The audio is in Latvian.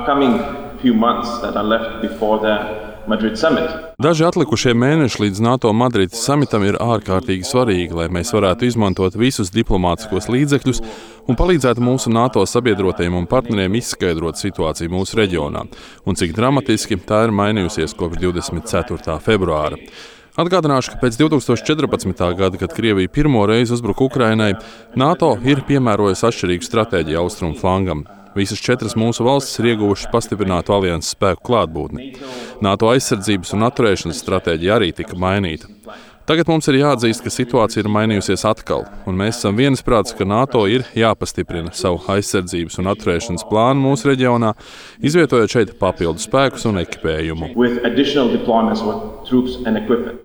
upcoming few months that are left before the Madrid summit. Daži atlikušie mēneši līdz NATO Madrides samitam ir ārkārtīgi svarīgi, lai mēs varētu izmantot visus diplomātiskos līdzekļus un palīdzētu mūsu NATO sabiedrotajiem un partneriem izskaidrot situāciju mūsu reģionā un cik dramatiski tā ir mainījusies kopš 24. februāra. Atgādināšu, ka pēc 2014. gada, kad Krievija pirmo reizi uzbruka Ukrainai, NATO ir piemērojusi atšķirīgu stratēģiju austrumu flangam. Visas 4 mūsu valstis ir ieguvušas pastiprinātu alianses spēku klātbūtni. NATO aizsardzības un atturēšanas stratēģija arī tika mainīta. Tagad mums ir jāatzīst, ka situācija ir mainījusies atkal, un mēs esam viensprāts, ka NATO ir jāpastiprina savu aizsardzības un atturēšanas plānu mūsu reģionā, izvietojot šeit papildu spēkus un ekipējumu.